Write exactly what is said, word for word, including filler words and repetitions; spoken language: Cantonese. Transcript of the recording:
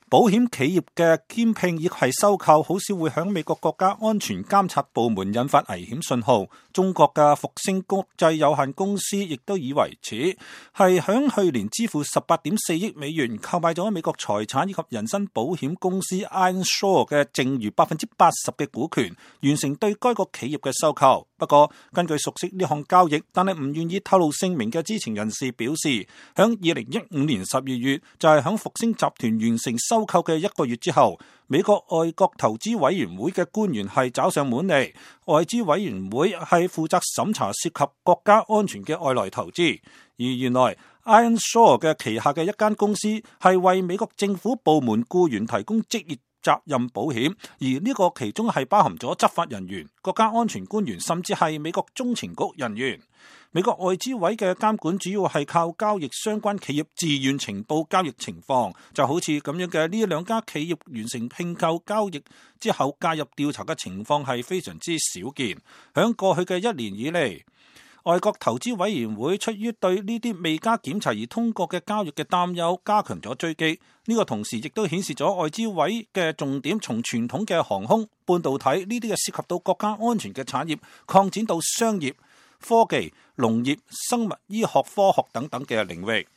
保險企業嘅兼併亦係收購，好少會響美國國家安全監察部門引發危險信號。中國嘅復星國際有限公司亦都以為此，係響去年支付十八點四億美元購買咗美國財產以及人身保險公司 Ironshore 嘅剩餘百分之八十嘅股權，完成對該個企業嘅收購。不過，根據熟悉呢項交易，但係唔願意透露姓名嘅知情人士表示，響二零一五年十二月就係響復星集團完成收購嘅一個月之後，美國外國投資委員會嘅官員係找上門嚟。外資委員會係負責審查涉及國家安全嘅外來投資，而原來 Ironshore 嘅旗下嘅一間公司係為美國政府部門僱員提供職業責任保險，而呢個其中係包含咗執法人員、國家安全官員，甚至係美國中情局人員。美國外資委嘅監管主要係靠交易相關企業自願情報交易情況，就好似咁樣嘅呢兩家企業完成併購交易之後介入調查嘅情況係非常之少見。響過去嘅一年以嚟，外國投資委員會出於對呢啲未加檢查而通過嘅交易嘅擔憂，加強咗追擊。呢個同時亦都顯示咗外資委嘅重點從傳統嘅航空、半導體呢啲嘅涉及到國家安全嘅產業，擴展到商業、科技、農業、生物醫學科學等等嘅領域。